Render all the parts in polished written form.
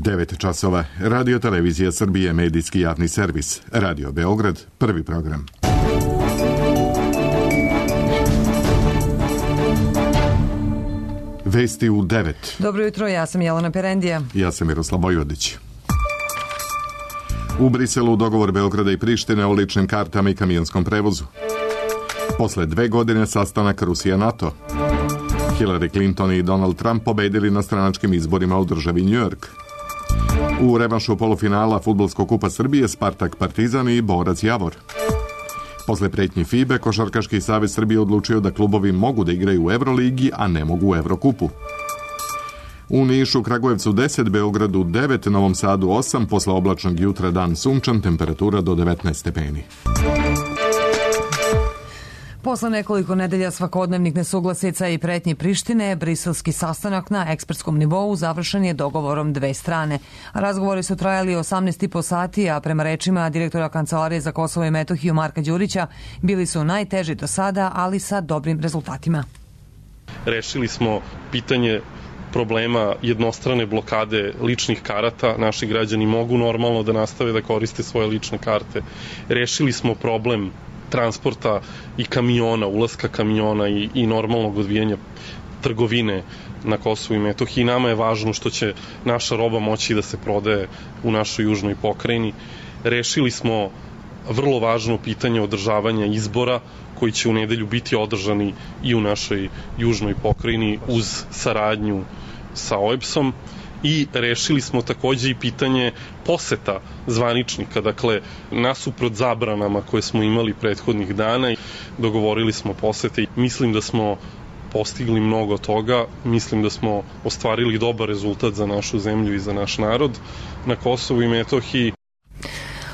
9 časova. Radio Televizija Srbije, medijski javni servis. Radio Beograd, prvi program. Vesti u 9. Dobro jutro, ja sam Jelena Perendija. Ja sam Miroslav Vojvodić. U Briselu dogovor Beograda i Prištine o ličnim kartama i kamionskom prevozu. Posle 2 godine sastanak Rusija-NATO. Hillary Clinton i Donald Trump pobedili na stranačkim izborima u državi New York. U revanšu polufinala Fudbalskog kupa Srbije Spartak Partizan i Borac Javor. Posle pretnji FIBE, Košarkaški savez Srbije odlučio da klubovi mogu da igraju u Evroligi, a ne mogu u Evrokupu. U Nišu, Kragujevcu 10, Beogradu 9, Novom Sadu 8, posle oblačnog jutra dan sunčan, temperatura do 19 stepeni. Posle nekoliko nedelja svakodnevnih nesuglasica i pretnji Prištine, briselski sastanak na ekspertskom nivou završen je dogovorom dve strane. Razgovori su trajali 18,5 sati, a prema rečima direktora Kancelarije za Kosovo i Metohiju Marka Đurića, bili su najteži do sada, ali sa dobrim rezultatima. Rešili smo pitanje problema jednostrane blokade ličnih karata. Naši građani mogu normalno da nastave da koriste svoje lične karte. Rešili smo problem transporta i kamiona, ulaska kamiona i normalnog odvijanja trgovine na Kosovu i Metohiji. Nama je važno što će naša roba moći da se prodaje u našoj južnoj pokrajini. Rešili smo vrlo važno pitanje održavanja izbora koji će u nedelju biti održani i u našoj južnoj pokrajini uz saradnju sa OEBS-om. I rešili smo takođe i pitanje poseta zvaničnika, dakle, nasuprot zabranama koje smo imali prethodnih dana, dogovorili smo posete i mislim da smo postigli mnogo toga, mislim da smo ostvarili dobar rezultat za našu zemlju i za naš narod na Kosovu i Metohiji.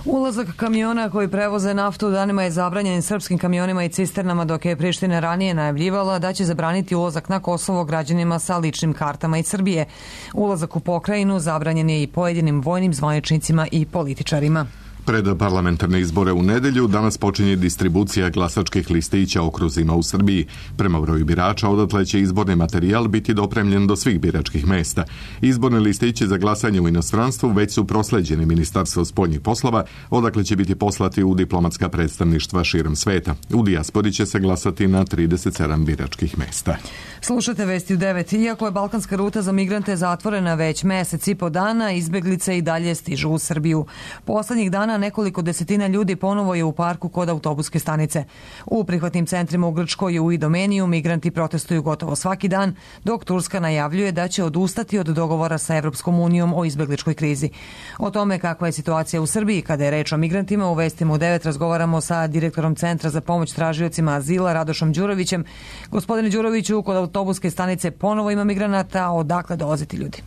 Ulazak kamiona koji prevoze naftu danima je zabranjen srpskim kamionima i cisternama, dok je Priština ranije najavljivala da će zabraniti ulazak na Kosovo građanima sa ličnim kartama iz Srbije. Ulazak u pokrajinu zabranjen je i pojedinim vojnim zvaničnicima i političarima. Pred parlamentarne izbore u nedelju danas počinje distribucija glasačkih listića okruzima u Srbiji. Prema broju birača odatle će izborni materijal biti dopremljen do svih biračkih mesta. Izborne listići za glasanje u inostranstvu već su prosleđeni Ministarstvu spoljnih poslova, odakle će biti poslati u diplomatska predstavništva širom sveta. U dijaspori će se glasati na 37 biračkih mesta. Slušate Vesti u 9. Iako je balkanska ruta za migrante zatvorena već mesec i po dana, izbeglice i dalje stižu u Srbiju. Poslednjih dana nekoliko desetina ljudi ponovo je u parku kod autobuske stanice. U prihvatnim centrima u Grčkoj i u Idomeniju migranti protestuju gotovo svaki dan, dok Turska najavljuje da će odustati od dogovora sa Evropskom unijom o izbegličkoj krizi. O tome kakva je situacija u Srbiji kada je reč o migrantima u Vestima u 9 razgovaramo sa direktorom Centra za pomoć tražiocima azila Radošom Đurovićem. Gospodine Đuroviću, kod autobuske stanice ponovo ima migranata, odakle dolaze ti ljudi?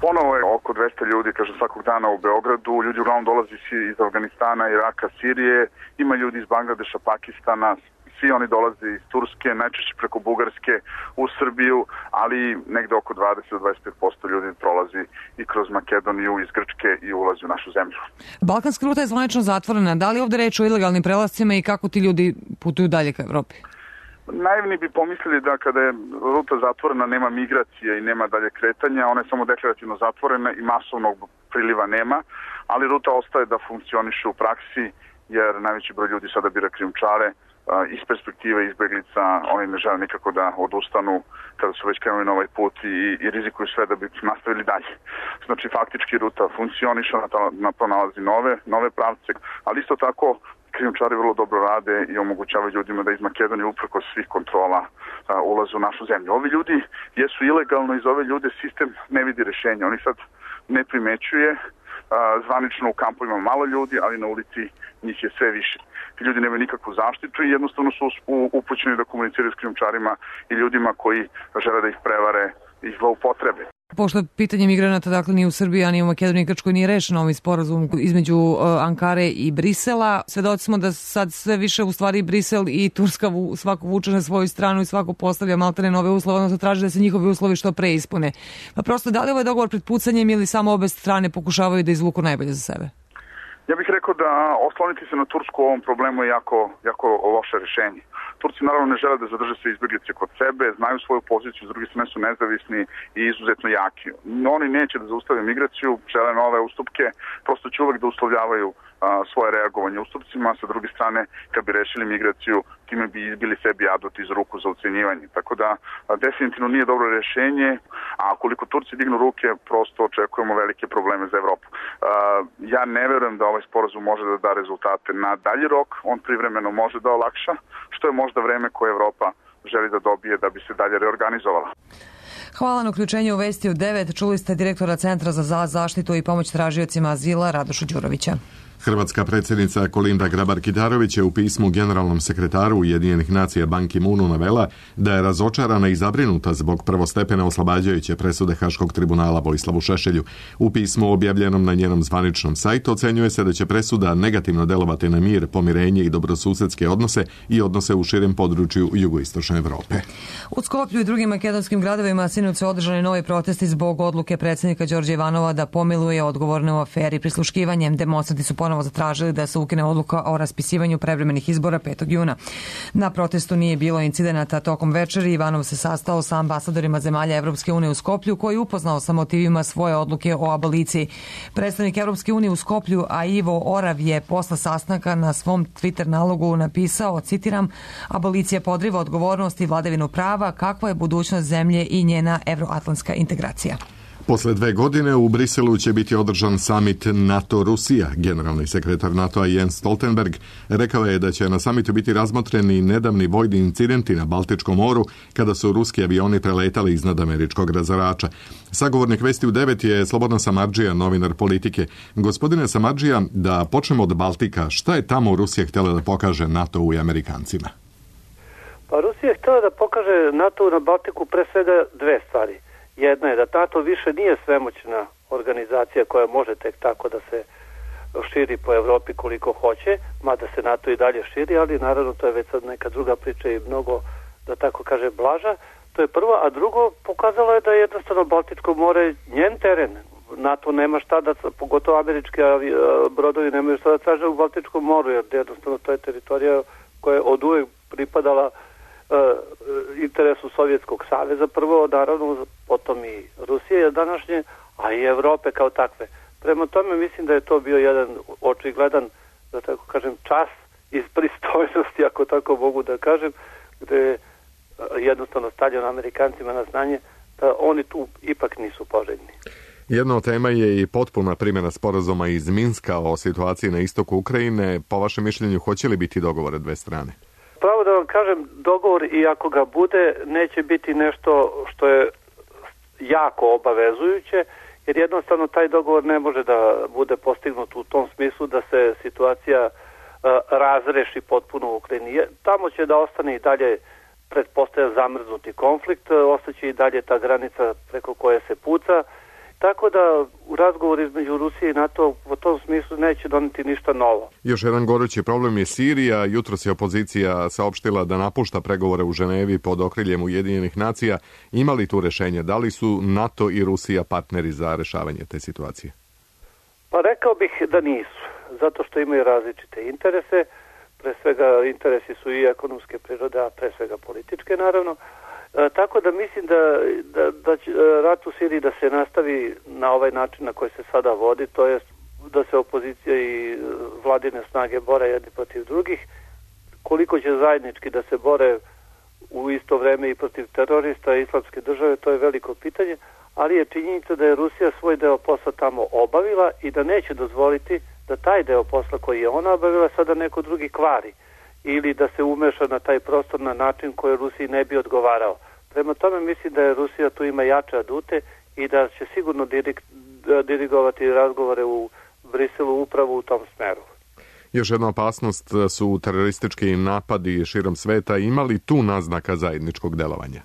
Ponovo je oko 200 ljudi, kaže, svakog dana u Beogradu. Ljudi uglavnom dolazi iz Afganistana, Iraka, Sirije. Ima ljudi iz Bangladeša, Pakistana. Svi oni dolaze iz Turske, najčešće preko Bugarske u Srbiju, ali negde oko 20-25% ljudi prolazi i kroz Makedoniju, iz Grčke i ulazi u našu zemlju. Balkanska ruta je zvanično zatvorena. Da li ovde reč o ilegalnim prelascima i kako ti ljudi putuju dalje ka Evropi? Naivni bi pomislili da kada je ruta zatvorena nema migracije i nema dalje kretanja, ona je samo deklarativno zatvorena i masovnog priliva nema, ali ruta ostaje da funkcioniše u praksi jer najveći broj ljudi sada bira krijumčare. Iz perspektive izbeglica oni ne žele nikako da odustanu kada su već krenuli na ovaj put i rizikuju sve da bi nastavili dalje. Znači faktički ruta funkcioniše, na to nalazi nove pravce, ali isto tako krijumčari vrlo dobro rade i omogućavaju ljudima da iz Makedonije uprkos svih kontrola ulaze u našu zemlju. Ovi ljudi jesu ilegalno i za ove ljude sistem ne vidi rešenja. Oni sad ne primećuje, zvanično u kampu ima malo ljudi, ali na ulici njih je sve više. Ti ljudi nemaju nikakvu zaštitu i jednostavno su upućeni da komuniciraju s krijumčarima i ljudima koji žele da ih prevare i zloupotrebe. Pošto pitanje migranata dakle ni u Srbiji, a ni u Makedoniji i Grčkoj nije rešeno ovim sporazum između Ankare i Brisela. Svedoci smo da sad sve više u stvari Brisel i Turska svako vuče na svoju stranu i svako postavlja maltene nove uslove, odnosno traži da se njihovi uslovi što pre ispune. Pa prosto, da li ovaj dogovor pred pucanjem ili samo obe strane pokušavaju da izvuku najbolje za sebe? Ja bih rekao da osloniti se na Tursku u ovom problemu je jako loše rešenje. Turci naravno ne žele da zadrže sve izbjeglice kod sebe, znaju svoju poziciju, s druge strane su nezavisni i izuzetno jaki. Oni neće da zaustave migraciju, žele nove ustupke, prosto će uvek da uslovljavaju svoje reagovanje ustupcima, sa druge strane kad bi rešili migraciju time bi izbili sebi adut iz ruku za ucenjivanje. Tako da definitivno nije dobro rešenje, a koliko Turci dignu ruke prosto očekujemo velike probleme za Evropu. Ja ne verujem da ovaj sporazum može da da rezultate na dalji rok, on privremeno može da olakša, što je možda vreme koje Evropa želi da dobije da bi se dalje reorganizovala. Hvala na uključenju u Vesti u 9. Čuli ste direktora Centra za zaštitu i pomoć tražiocima azila Radoša Đurovića. Hrvatska predsjednica Kolinda Grabar-Kitarović je u pismu generalnom sekretaru Ujedinjenih nacija Ban Ki-moonu navela da je razočarana i zabrinuta zbog prvostepene oslobađajuće presude Haškog tribunala Vojislavu Šešelju. U pismu objavljenom na njenom zvaničnom sajtu ocenjuje se da će presuda negativno delovati na mir, pomirenje i dobrosusedske odnose i odnose u širem području jugoistočne Evrope. U Skoplju i drugim makedonskim gradovima sinoć su održani novi protesti zbog odluke predsjednika Đorđa Ivanova da pomiluje odgovorne u aferi prisluškivanjem. Demonstranti su ponovo zatražili da se ukine odluka o raspisivanju prevremenih izbora 5. juna. Na protestu nije bilo incidenata tokom večeri. Ivanov se sastao sa ambasadorima zemalja Evropske unije u Skoplju, koji je upoznao sa motivima svoje odluke o aboliciji. Predstavnik Evropske unije u Skoplju, a Ivo Orav, je posle sastanka na svom Twitter nalogu napisao, citiram, abolicija podriva odgovornost i vladavinu prava, kakva je budućnost zemlje i njena evroatlantska integracija. Posle 2 godine u Briselu će biti održan samit NATO-Rusija. Generalni sekretar NATO-a Jens Stoltenberg rekao je da će na samitu biti razmotreni nedavni vojni incidenti na Baltičkom moru kada su ruski avioni preletali iznad američkog razarača. Sagovornik Vesti u 9 je Slobodan Samardžija, novinar Politike. Gospodine Samardžija, da počnemo od Baltika. Šta je tamo Rusija htjela da pokaže NATO-u i Amerikancima? Pa Rusija je htjela da pokaže NATO-u na Baltiku pre svega 2 stvari. Jedna je da NATO više nije svemoćna organizacija koja može tek tako da se širi po Evropi koliko hoće, mada se NATO i dalje širi, ali naravno to je već sad neka druga priča i mnogo, da tako kaže, blaža. To je prvo, a drugo, pokazalo je da je jednostavno Baltičko more njen teren. NATO nema šta da, pogotovo američki brodovi nemaju šta da traže u Baltičkom moru, jer jednostavno to je teritorija koja je od uvek pripadala interesu Sovjetskog saveza, prvo naravno, potom i Rusije današnje, a i Evrope kao takve. Prema tome mislim da je to bio jedan očigledan, da tako kažem, čas iz pristojnosti, ako tako mogu da kažem, gde je jednostavno stavljeno Amerikancima na znanje da oni tu ipak nisu poželjni. Jedna od tema je i potpuna primjena sporazuma iz Minska o situaciji na istoku Ukrajine. Po vašem mišljenju, hoće li biti dogovore 2 strane? Pravo da vam kažem, dogovor, i ako ga bude, neće biti nešto što je jako obavezujuće, jer jednostavno taj dogovor ne može da bude postignut u tom smislu da se situacija razreši potpuno u Ukrajini. Tamo će da ostane i dalje, pretpostavlja, zamrznuti konflikt, ostaće i dalje ta granica preko koje se puca, tako da u razgovoru između Rusije i NATO u tom smislu neće doneti ništa novo. Još jedan gorući problem je Sirija. Jutros je opozicija saopštila da napušta pregovore u Ženevi pod okriljem Ujedinjenih nacija. Ima li tu rešenje? Da li su NATO i Rusija partneri za rešavanje te situacije? Pa rekao bih da nisu, zato što imaju različite interese. Pre svega interesi su i ekonomske prirode, a pre svega političke naravno. Tako da mislim da će rat u Siriji da se nastavi na ovaj način na koji se sada vodi, to je da se opozicija i vladine snage bore jedni protiv drugih. Koliko će zajednički da se bore u isto vreme i protiv terorista i islamske države, to je veliko pitanje, ali je činjenica da je Rusija svoj deo posla tamo obavila i da neće dozvoliti da taj deo posla koji je ona obavila sada neko drugi kvari ili da se umeša na taj prostor na način koji Rusiji ne bi odgovarao. Prema tome mislim da je Rusija tu ima jače adute i da će sigurno dirigovati razgovore u Briselu upravo u tom smeru. Još jedna opasnost su teroristički napadi širom sveta. Ima li tu naznaka zajedničkog delovanja?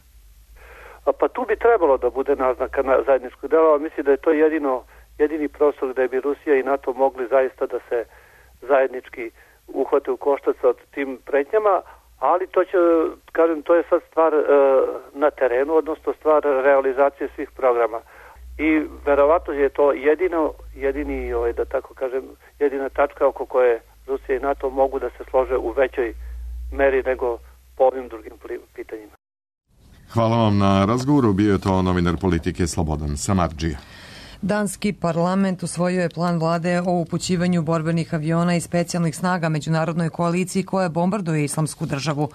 Pa tu bi trebalo da bude naznaka zajedničkog delovanja. Mislim da je to jedini prostor gde bi Rusija i NATO mogli zaista da se zajednički uhvate u koštac od tim pretnjama, ali to će, kažem, to je sad stvar na terenu, odnosno stvar realizacije svih programa. I verovatno je to jedini, da tako kažem, jedina tačka oko koje Rusija i NATO mogu da se slože u većoj meri nego po ovim drugim pitanjima. Hvala vam na razgovoru, bio je to novinar Politike Slobodan Samardžija. Danski parlament usvojio je plan vlade o upućivanju borbenih aviona i specijalnih snaga međunarodnoj koaliciji koja bombarduje Islamsku državu.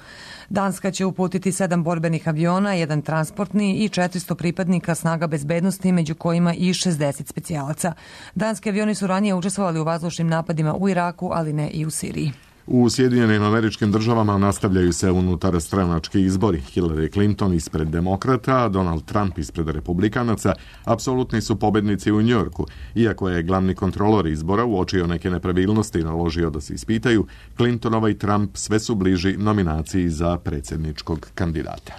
Danska će uputiti 7 borbenih aviona, 1 transportni i 400 pripadnika snaga bezbednosti, među kojima i 60 specijalaca. Danski avioni su ranije učestvovali u vazdušnim napadima u Iraku, ali ne i u Siriji. U Sjedinjenim Američkim Državama nastavljaju se unutarstranački izbori. Hillary Clinton ispred demokrata, a Donald Trump ispred republikanaca apsolutni su pobednici u Njujorku. Iako je glavni kontrolor izbora uočio neke nepravilnosti i naložio da se ispitaju, Clintonova i Trump sve su bliži nominaciji za predsjedničkog kandidata.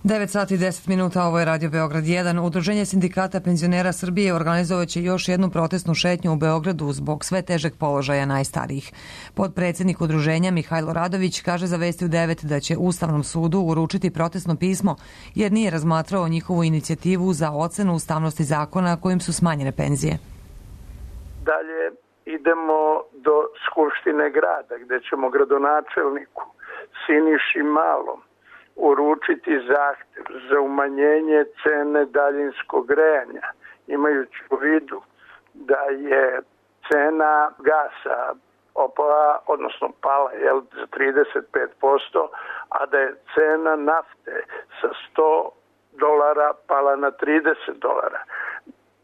9 sati i 10 minuta, ovo je Radio Beograd 1. Udruženje sindikata penzionera Srbije organizovaće još jednu protestnu šetnju u Beogradu zbog sve težeg položaja najstarijih. Podpredsjednik udruženja Mihajlo Radović kaže za Vesti u 9 da će Ustavnom sudu uručiti protestno pismo jer nije razmatrao njihovu inicijativu za ocenu ustavnosti zakona kojim su smanjene penzije. Dalje idemo do Skupštine grada gde ćemo gradonačelniku Siniši Malom uručiti zahtev za umanjenje cene daljinskog grejanja, imajući u vidu da je cena gasa opala, odnosno pala za 35%, a da je cena nafte sa $100 pala na $30.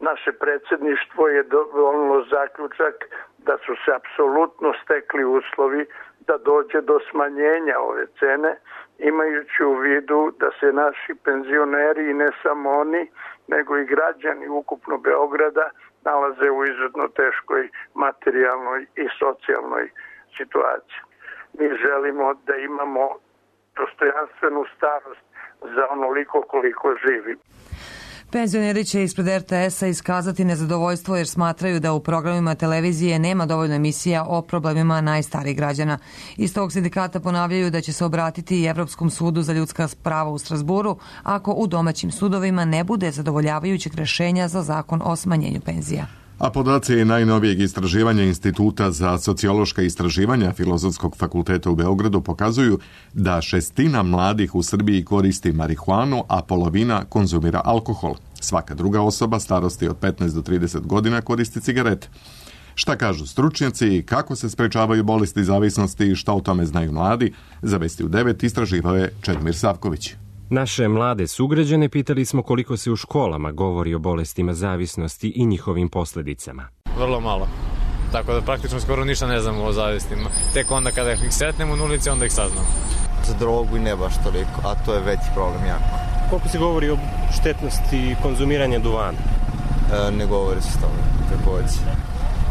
Naše predsjedništvo je donijelo zaključak da su se apsolutno stekli uslovi da dođe do smanjenja ove cene, imajući u vidu da se naši penzioneri i ne samo oni, nego i građani ukupno Beograda nalaze u izuzetno teškoj materijalnoj i socijalnoj situaciji. Mi želimo da imamo dostojanstvenu starost za onoliko koliko živi. Penzioneri će ispred RTS-a iskazati nezadovoljstvo jer smatraju da u programima televizije nema dovoljno emisija o problemima najstarijih građana. Iz tog sindikata ponavljaju da će se obratiti i Evropskom sudu za ljudska prava u Strasburu ako u domaćim sudovima ne bude zadovoljavajućeg rešenja za zakon o smanjenju penzija. A podaci najnovijeg istraživanja Instituta za sociološka istraživanja Filozofskog fakulteta u Beogradu pokazuju da 1/6 mladih u Srbiji koristi marihuanu, a polovina konzumira alkohol. Svaka druga osoba starosti od 15 do 30 godina koristi cigarete. Šta kažu stručnjaci i kako se sprečavaju bolesti zavisnosti i šta o tome znaju mladi, za Vesti u 9 istraživao je Čedomir Savković. Naše mlade sugrađane pitali smo koliko se u školama govori o bolestima zavisnosti i njihovim posledicama. Vrlo malo. Tako da praktično skoro ništa ne znamo o zavistima. Tek onda kada ih sretnemo u ulici, onda ih saznamo. Za drogu i ne baš toliko, a to je veći problem jako. Koliko se govori o štetnosti konzumiranja duvana? Ne govori se s tome, takođe.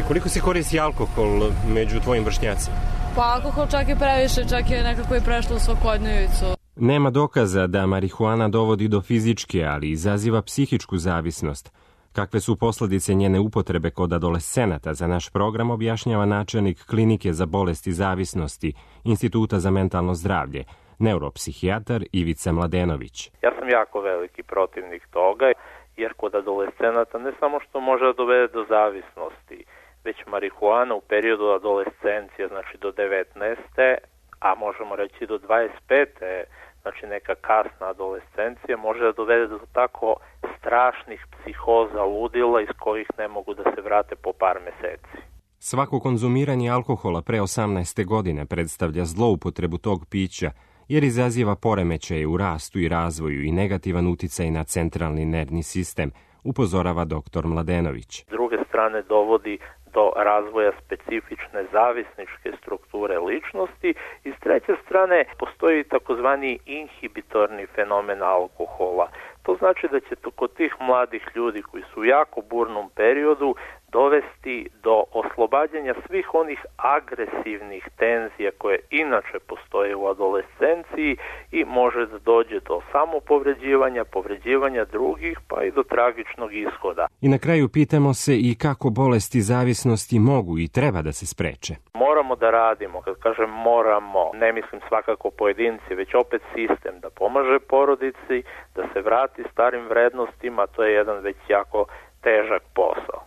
I koliko se koristi alkohol među tvojim vršnjacima? Pa alkohol čak je previše, čak je nekako i prešlo u svakodnevicu. Nema dokaza da marihuana dovodi do fizičke, ali izaziva psihičku zavisnost. Kakve su posledice njene upotrebe kod adolescenata za naš program objašnjava načelnik Klinike za bolesti zavisnosti Instituta za mentalno zdravlje, neuropsihijatar Ivica Mladenović. Ja sam jako veliki protivnik toga, jer kod adolescenata ne samo što može da dovede do zavisnosti, već marihuana u periodu adolescencije, znači do 19. a možemo reći do 25. znači neka kasna adolescencija, može da dovede do tako strašnih psihoza, ludila iz kojih ne mogu da se vrate po par meseci. Svako konzumiranje alkohola pre 18. godine predstavlja zloupotrebu tog pića, jer izaziva poremećaje u rastu i razvoju i negativan uticaj na centralni nervni sistem, upozorava dr. Mladenović. S druge strane dovodi do razvoja specifične zavisničke strukture ličnosti i s treće strane postoji takozvani inhibitorni fenomen alkohola. To znači da će to kod tih mladih ljudi koji su u jako burnom periodu dovesti do oslobađanja svih onih agresivnih tenzija koje inače postoje u adolescenciji i može da dođe do samopovređivanja, povređivanja drugih pa i do tragičnog ishoda. I na kraju pitamo se i kako bolesti zavisnosti mogu i treba da se spreče. Moramo da radimo, kad kažem moramo, ne mislim svakako pojedinci, već opet sistem da pomaže porodici, da se vrati starim vrednostima, to je jedan već jako težak posao.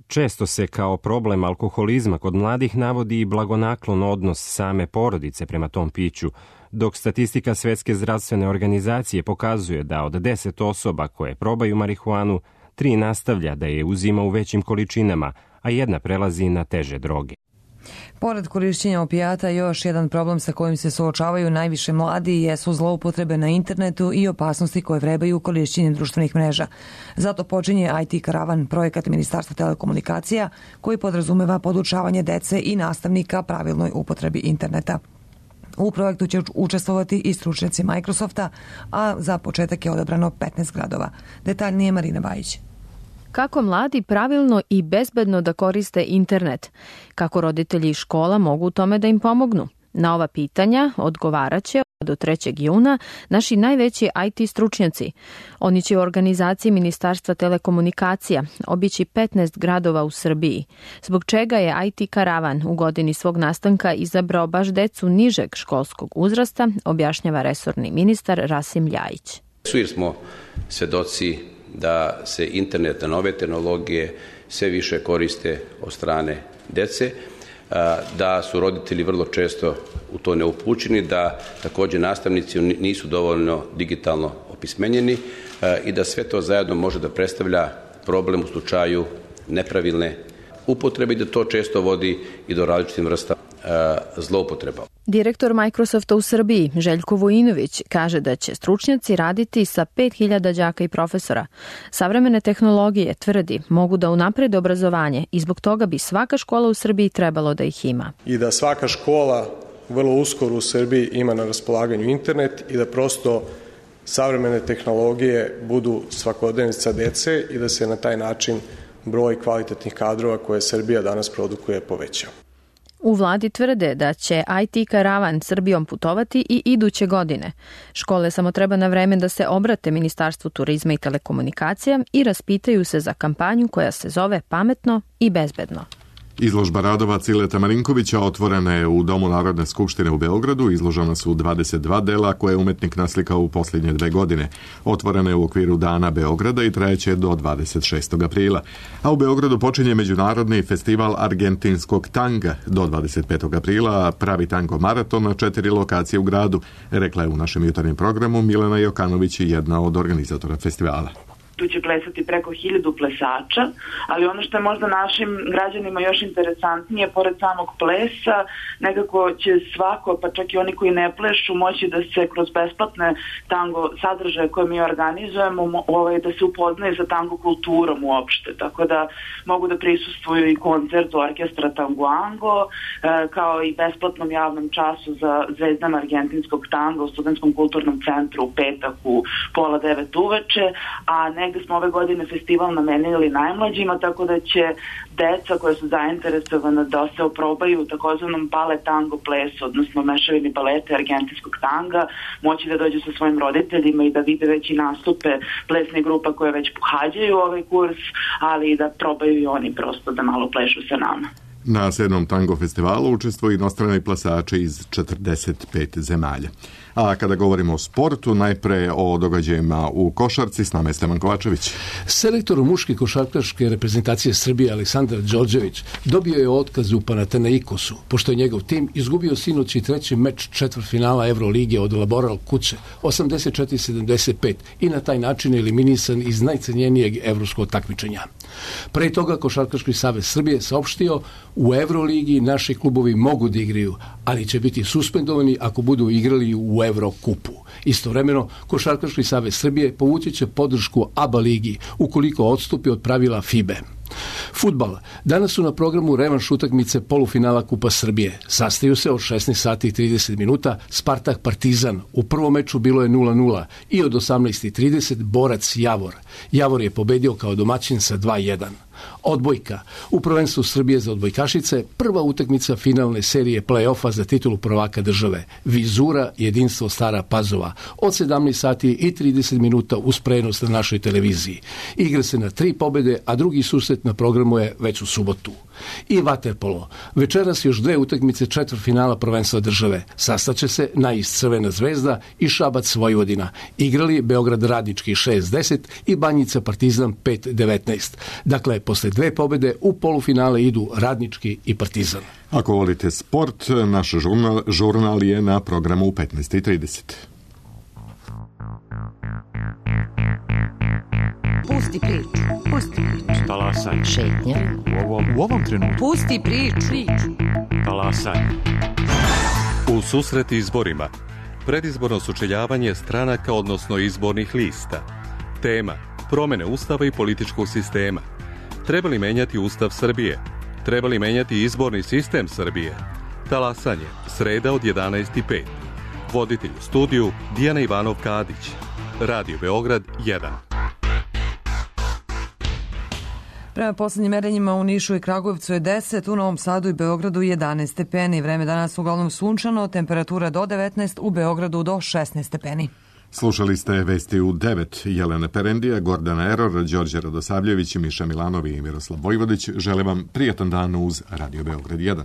Često se kao problem alkoholizma kod mladih navodi i blagonaklon odnos same porodice prema tom piću, dok statistika Svetske zdravstvene organizacije pokazuje da od 10 osoba koje probaju marihuanu, 3 nastavlja da je uzima u većim količinama, a 1 prelazi na teže droge. Pored korišćenja opijata, još jedan problem sa kojim se suočavaju najviše mladi jesu zloupotrebe na internetu i opasnosti koje vrebaju korišćenjem društvenih mreža. Zato počinje IT Karavan, projekat Ministarstva telekomunikacija, koji podrazumeva podučavanje dece i nastavnika pravilnoj upotrebi interneta. U projektu će učestvovati i stručnjaci Microsofta, a za početak je odabrano 15 gradova. Detaljnije Marina Bajić. Kako mladi pravilno i bezbedno da koriste internet? Kako roditelji i škola mogu u tome da im pomognu? Na ova pitanja odgovaraće do 3. juna naši najveći IT stručnjaci. Oni će u organizaciji Ministarstva telekomunikacija obići 15 gradova u Srbiji, zbog čega je IT Karavan u godini svog nastanka izabrao baš decu nižeg školskog uzrasta, objašnjava resorni ministar Rasim Ljajić. Jer smo svedoci da se internet, nove tehnologije sve više koriste od strane dece, da su roditelji vrlo često u to neupućeni, da također nastavnici nisu dovoljno digitalno opismenjeni i da sve to zajedno može da predstavlja problem u slučaju nepravilne upotrebe i da to često vodi i do različitih vrsta zloupotreba. Direktor Microsofta u Srbiji, Željko Vojinović, kaže da će stručnjaci raditi sa 5000 đaka i profesora. Savremene tehnologije, tvrdi, mogu da unaprede obrazovanje i zbog toga bi svaka škola u Srbiji trebalo da ih ima. I da svaka škola vrlo uskoro u Srbiji ima na raspolaganju internet i da prosto savremene tehnologije budu svakodnevnica dece i da se na taj način broj kvalitetnih kadrova koje Srbija danas produkuje povećao. U vladi tvrde da će IT Karavan Srbijom putovati i iduće godine. Škole samo treba na vreme da se obrate Ministarstvu turizma i telekomunikacija i raspitaju se za kampanju koja se zove Pametno i bezbedno. Izložba radova Cileta Marinkovića otvorena je u Domu Narodne skupštine u Beogradu. Izložena su 22 dela koje je umetnik naslikao u posljednje 2 godine. Otvorena je u okviru Dana Beograda i trajeće do 26. aprila. A u Beogradu počinje Međunarodni festival argentinskog tanga do 25. aprila, pravi tango maraton na 4 lokacije u gradu, rekla je u našem jutarnjem programu Milena Jokanović, jedna od organizatora festivala. Tu će plesati preko 1000 plesača, ali ono što je možda našim građanima još interesantnije, pored samog plesa, nekako će svako, pa čak i oni koji ne plešu, moći da se kroz besplatne tango sadržaje koje mi organizujemo, da se upoznaju sa tango kulturom uopšte, tako da mogu da prisustvuju i koncertu orkestra Tangoango, kao i besplatnom javnom času za zvezdama argentinskog tanga u Studentskom kulturnom centru u petak u 8:30 uveče, a negde smo ove godine festival namenili najmlađima, tako da će deca koja su zainteresovana da se oprobaju u takozvanom balet tango plesu, odnosno mešavini baleta argentinskog tanga, moći da dođu sa svojim roditeljima i da vide već i nastupe plesne grupa koje već pohađaju ovaj kurs, ali i da probaju i oni prosto da malo plešu sa nama. Na 7. tango festivalu učestvuju inostrani plesači iz 45 zemalja. A kada govorimo o sportu, najpre o događajima u košarci, s nama je Stevan Kovačević. Selektor muške košarkaške reprezentacije Srbije Aleksandar Đorđević dobio je otkaz u Panathinaikosu, pošto je njegov tim izgubio sinoć i 3. meč četvrtfinala Evrolige od Laboral kuće 84-75 i na taj način eliminisan iz najcenjenijeg evropskog takmičenja. Pre toga Košarkaški savez Srbije saopštio u Evroligi naši klubovi mogu da igraju, ali će biti suspendovani ako budu igrali u Evrokupu. Istovremeno, Košarkaški savez Srbije povući će podršku ABA ligi ukoliko odstupi od pravila FIBE. Fudbal. Danas su na programu revanš utakmice polufinala Kupa Srbije. Sastaju se od 16 sati i 30 minuta Spartak Partizan. U prvom meču bilo je 0:0 i od 18:30 Borac Javor. Javor je pobedio kao domaćin sa 2:1. Odbojka. U prvenstvu Srbije za odbojkašice prva utakmica finalne serije play-offa za titulu prvaka države. Vizura jedinstvo Stara Pazova. Od 17 sati i 30 minuta uz prenos na našoj televiziji. Igra se na 3 pobede, a drugi susret na programu je već u subotu. I vaterpolo. Večeras još 2 utakmice četvrtfinala prvenstva države. Sastaće se Nais Crvena zvezda i Šabac Vojvodina. Igrali Beograd Radnički 6-10 i Banjica Partizan 5-19. Dakle, posle 2 pobede u polufinale idu Radnički i Partizan. Ako volite sport, naš žurnal je na programu u 15:30. Pusti priču. Pusti priču. Talasaj. Šetnja. U ovom trenutku. Pusti priču. Talasaj. U susret izborima. Predizborno sučeljavanje stranaka, odnosno izbornih lista. Tema: promene ustava i političkog sistema. Treba li menjati Ustav Srbije? Treba li menjati izborni sistem Srbije? Talasanje, sreda od 11:05. Voditelj u studiju Dijana Ivanov-Kadić. Radio Beograd 1. Prema poslednjim merenjima u Nišu i Kragujevcu je 10, u Novom Sadu i Beogradu 11 stepeni. Vreme danas uglavnom sunčano, temperatura do 19, u Beogradu do 16 stepeni. Slušali ste vesti u 9. Jelena Perendija, Gordana Eror, Đorđe Radosavljević, Miša Milanovi i Miroslav Vojvodić. Žele vam prijatan dan uz Radio Beograd 1.